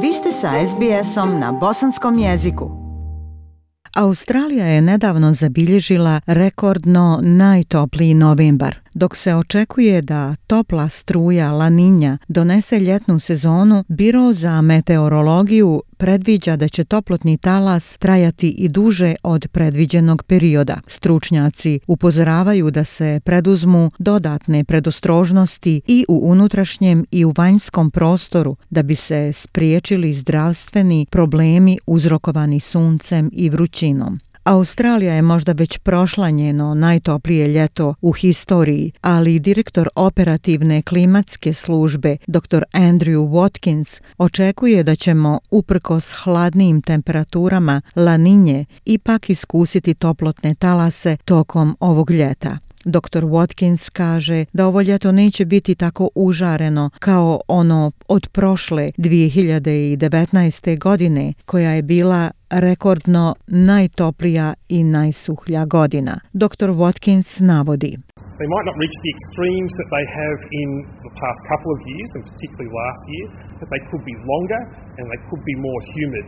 Vi ste sa SBS-om na bosanskom jeziku. Australija je nedavno zabilježila rekordno najtopliji novembar. Dok se očekuje da topla struja La Niña donese ljetnu sezonu, Biro za meteorologiju predviđa da će toplotni talas trajati i duže od predviđenog perioda. Stručnjaci upozoravaju da se preduzmu dodatne predostrožnosti i u unutrašnjem i u vanjskom prostoru da bi se spriječili zdravstveni problemi uzrokovani suncem i vrućinom. Australija je možda već prošla njeno najtoplije ljeto u historiji, ali direktor operativne klimatske službe dr. Andrew Watkins očekuje da ćemo uprkos hladnijim temperaturama La Niñe ipak iskusiti toplotne talase tokom ovog ljeta. Dr. Watkins kaže da ovo ljeto neće biti tako užareno kao ono od prošle 2019. godine, koja je bila rekordno najtoplija i najsuhlja godina. Dr. Watkins navodi: They might not reach the extremes that they have in the past couple of years, and particularly last year, but they could be longer and they could be more humid.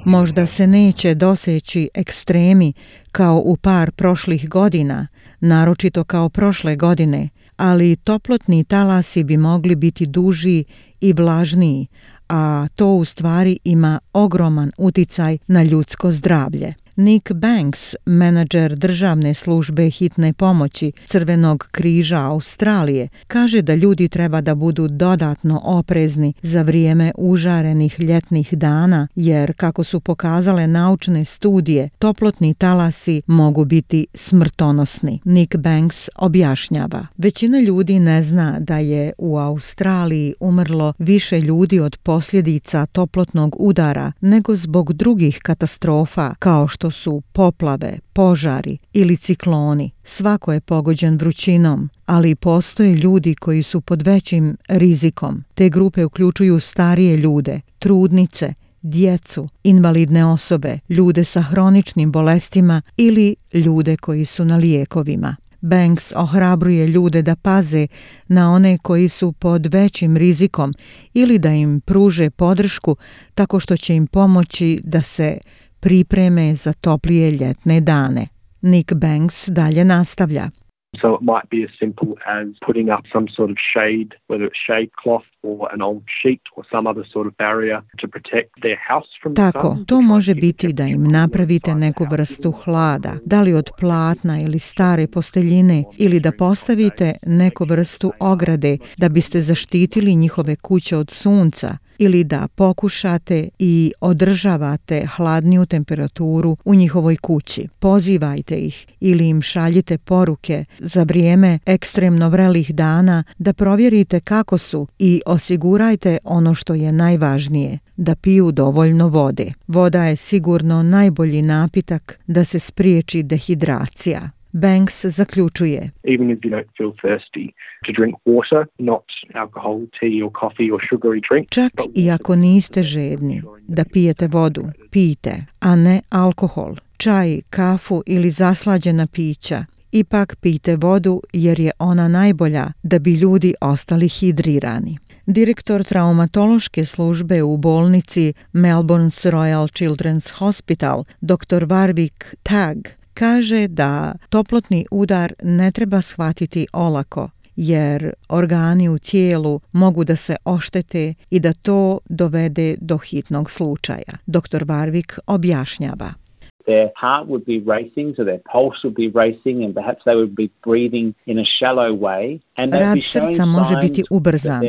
Možda se neće doseći ekstremi kao u par prošlih godina, naročito kao prošle godine, ali toplotni talasi bi mogli biti duži i vlažniji, a to u stvari ima ogroman uticaj na ljudsko zdravlje. Nick Banks, menadžer državne službe hitne pomoći Crvenog križa Australije, kaže da ljudi treba da budu dodatno oprezni za vrijeme užarenih ljetnih dana, jer kako su pokazale naučne studije, toplotni talasi mogu biti smrtonosni. Nick Banks objašnjava: većina ljudi ne zna da je u Australiji umrlo više ljudi od posljedica toplotnog udara nego zbog drugih katastrofa kao što su poplave, požari ili cikloni. Svako je pogođen vrućinom, ali postoje ljudi koji su pod većim rizikom. Te grupe uključuju starije ljude, trudnice, djecu, invalidne osobe, ljude sa hroničnim bolestima ili ljude koji su na lijekovima. Banks ohrabruje ljude da paze na one koji su pod većim rizikom ili da im pruže podršku tako što će im pomoći da se pripreme za toplije ljetne dane. Nick Banks dalje nastavlja: So it might be as simple as putting up some sort of shade, whether it's shade cloth or an old sheet or some other sort of barrier to protect their house from the sun. Tako, to može biti da im napravite neku vrstu hlada, da li od platna ili stare posteljine, ili da postavite neku vrstu ograde da biste zaštitili njihove kuće od sunca, ili da pokušate i održavate hladniju temperaturu u njihovoj kući. Pozivajte ih ili im šaljite poruke za vrijeme ekstremno vrelih dana da provjerite kako su i osigurajte ono što je najvažnije, da piju dovoljno vode. Voda je sigurno najbolji napitak da se spriječi dehidracija. Banks zaključuje: Even if you don't feel thirsty, to drink water, not alcohol, tea or coffee or sugary drink. Čak i ako niste žedni, da pijete vodu, pijte, a ne alkohol, čaj, kafu ili zaslađena pića. Ipak pijte vodu jer je ona najbolja da bi ljudi ostali hidrirani. Direktor traumatološke službe u bolnici Melbourne's Royal Children's Hospital, dr. Warwick Tagg, kaže da toplotni udar ne treba shvatiti olako, jer organi u tijelu mogu da se oštete i da to dovede do hitnog slučaja. Dr. Warwick objašnjava: Their heart would be racing, so their pulse would be racing, and perhaps they would be breathing in a shallow way. Rad srca može biti ubrzan,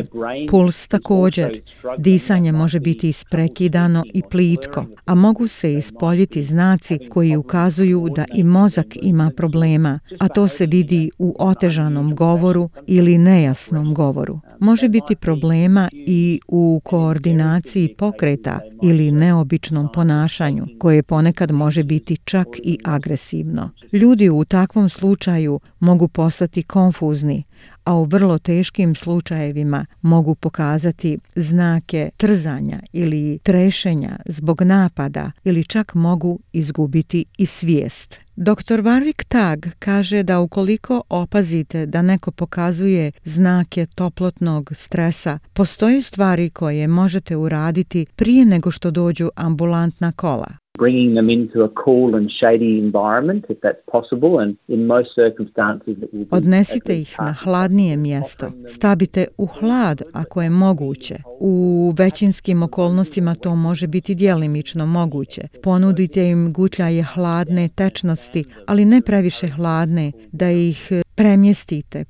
puls također, disanje može biti isprekidano i plitko, a mogu se ispoljiti znaci koji ukazuju da i mozak ima problema, a to se vidi u otežanom govoru ili nejasnom govoru. Može biti problema i u koordinaciji pokreta ili neobičnom ponašanju, koje ponekad može biti čak i agresivno. Ljudi u takvom slučaju mogu postati konfuzni, a u vrlo teškim slučajevima mogu pokazati znake trzanja ili trešenja zbog napada ili čak mogu izgubiti i svijest. Dr. Warwick Tagg kaže da ukoliko opazite da neko pokazuje znake toplotnog stresa, postoje stvari koje možete uraditi prije nego što dođu ambulantna kola. Bringing them into a cool and shady environment, if that's possible, and in most circumstances it will be. Odnesite ih na hladnije mjesto. Stavite u hlad ako je moguće. U većinskim okolnostima to može biti djelimično moguće. Ponudite im gutljaje hladne tečnosti, ali ne previše hladne, da ih premjestite,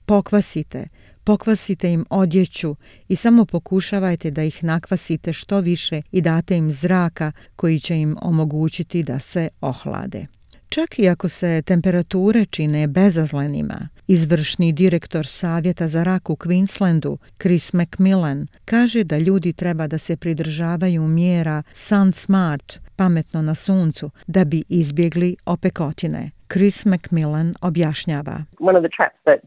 pokvasite im odjeću i samo pokušavajte da ih nakvasite što više i date im zraka koji će im omogućiti da se ohlade. Čak i ako se temperature čine bezazlenima, izvršni direktor Savjeta za rak u Queenslandu, Chris McMillan, kaže da ljudi treba da se pridržavaju mjera Sun Smart, pametno na suncu, da bi izbjegli opekotine. Chris McMillan objašnjava. One of the traps that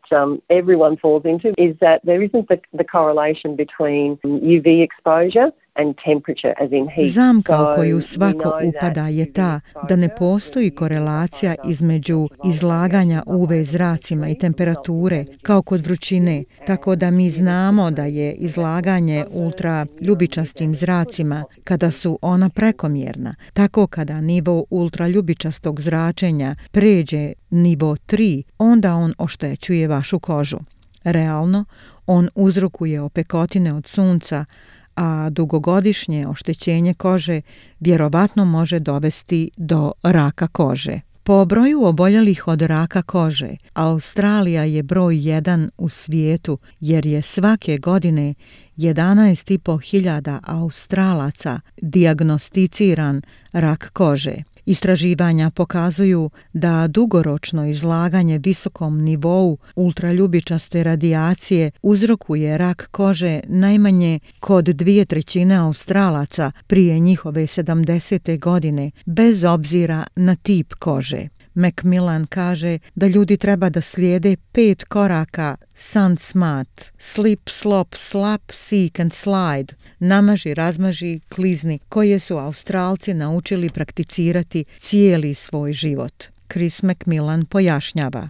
everyone falls into is that there isn't the correlation between UV exposure and temperature, as in heat. Zamka u koju svako upada je ta da ne postoji korelacija između izlaganja UV zracima i temperature kao kod vrućine, tako da mi znamo da je izlaganje ultraljubičastim zracima kada su ona prekomjerna. Tako kada nivo ultraljubičastog zračenja pređe nivo 3, onda on oštećuje vašu kožu. Realno, on uzrokuje opekotine od sunca, a dugogodišnje oštećenje kože vjerovatno može dovesti do raka kože. Po broju oboljelih od raka kože, Australija je broj 1 u svijetu jer je svake godine 11.500 Australaca dijagnosticiran rak kože. Istraživanja pokazuju da dugoročno izlaganje visokom nivou ultraljubičaste radijacije uzrokuje rak kože najmanje kod 2/3 Australaca prije njihove 70. godine, bez obzira na tip kože. McMillan kaže da ljudi treba da slijede 5 koraka Sun Smart: slip, slop, slap, seek and slide, namaži, razmaži, klizni, koje su Australci naučili prakticirati cijeli svoj život. Chris McMillan pojašnjava.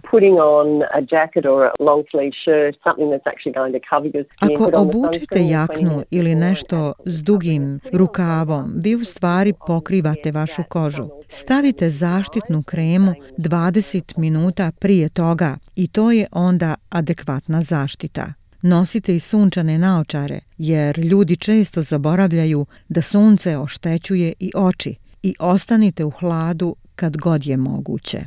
Ako obučete jaknu ili nešto s dugim rukavom, vi u stvari pokrivate vašu kožu. Stavite zaštitnu kremu 20 minuta prije toga i to je onda adekvatna zaštita. Nosite i sunčane naočare, jer ljudi često zaboravljaju da sunce oštećuje i oči, i ostanite u hladu kad god je moguće.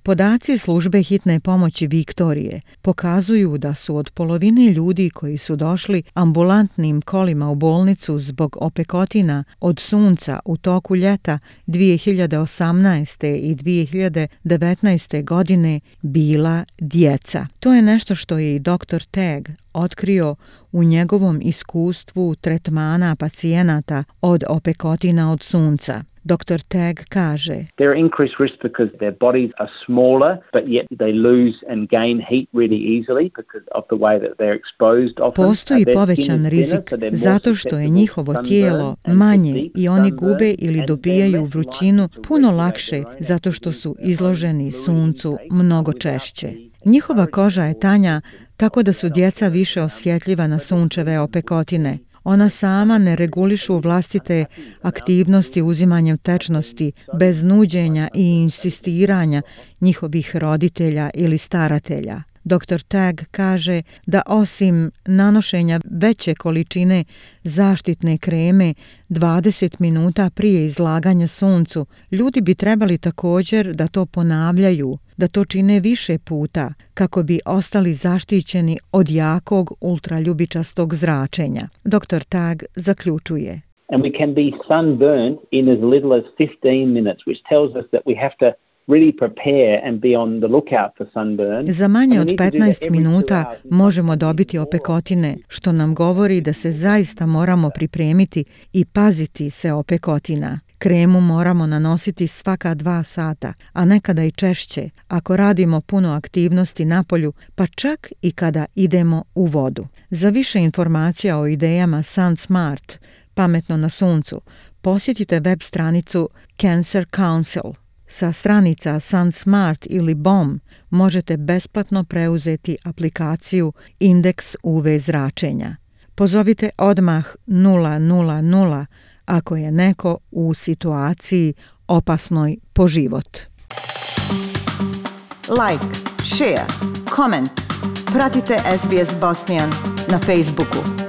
Podaci službe hitne pomoći Viktorije pokazuju da su od polovine ljudi koji su došli ambulantnim kolima u bolnicu zbog opekotina od sunca u toku ljeta 2018. i 2019. godine bila djeca. To je nešto što je i dr. Tagg otkrio u njegovom iskustvu tretmana pacijenata od opekotina od sunca. Dr. Tagg kaže: They're increased risk because their bodies are smaller, but yet they lose and gain heat really easily because of the way that they're exposed often. Postoji povećan rizik zato što je njihovo tijelo manje i oni gube ili dobijaju vrućinu puno lakše zato što su izloženi suncu mnogo češće. Njihova koža je tanja, tako da su djeca više osjetljiva na sunčeve opekotine. Ona sama ne regulišu vlastite aktivnosti uzimanjem tečnosti bez nuđenja i insistiranja njihovih roditelja ili staratelja. Dr. Tagg kaže da osim nanošenja veće količine zaštitne kreme 20 minuta prije izlaganja suncu, ljudi bi trebali također da to ponavljaju, da to čine više puta kako bi ostali zaštićeni od jakog ultraljubičastog zračenja. Dr. Tagg zaključuje: And we can be sunburned in as little as 15 minutes, which tells us that we have to really prepare and be on the lookout for sunburn. Za manje od 15 minuta možemo dobiti opekotine, što nam govori da se zaista moramo pripremiti i paziti se opekotina. Kremu moramo nanositi svaka 2 sata, a nekada i češće, ako radimo puno aktivnosti napolju, pa čak i kada idemo u vodu. Za više informacija o idejama Sun Smart, pametno na suncu, posjetite web stranicu Cancer Council. Sa stranica Sun Smart ili BOM možete besplatno preuzeti aplikaciju Indeks UV zračenja. Pozovite odmah 000 ako je neko u situaciji opasnoj po život. Like, share, comment. Pratite SBS Bosnian na Facebooku.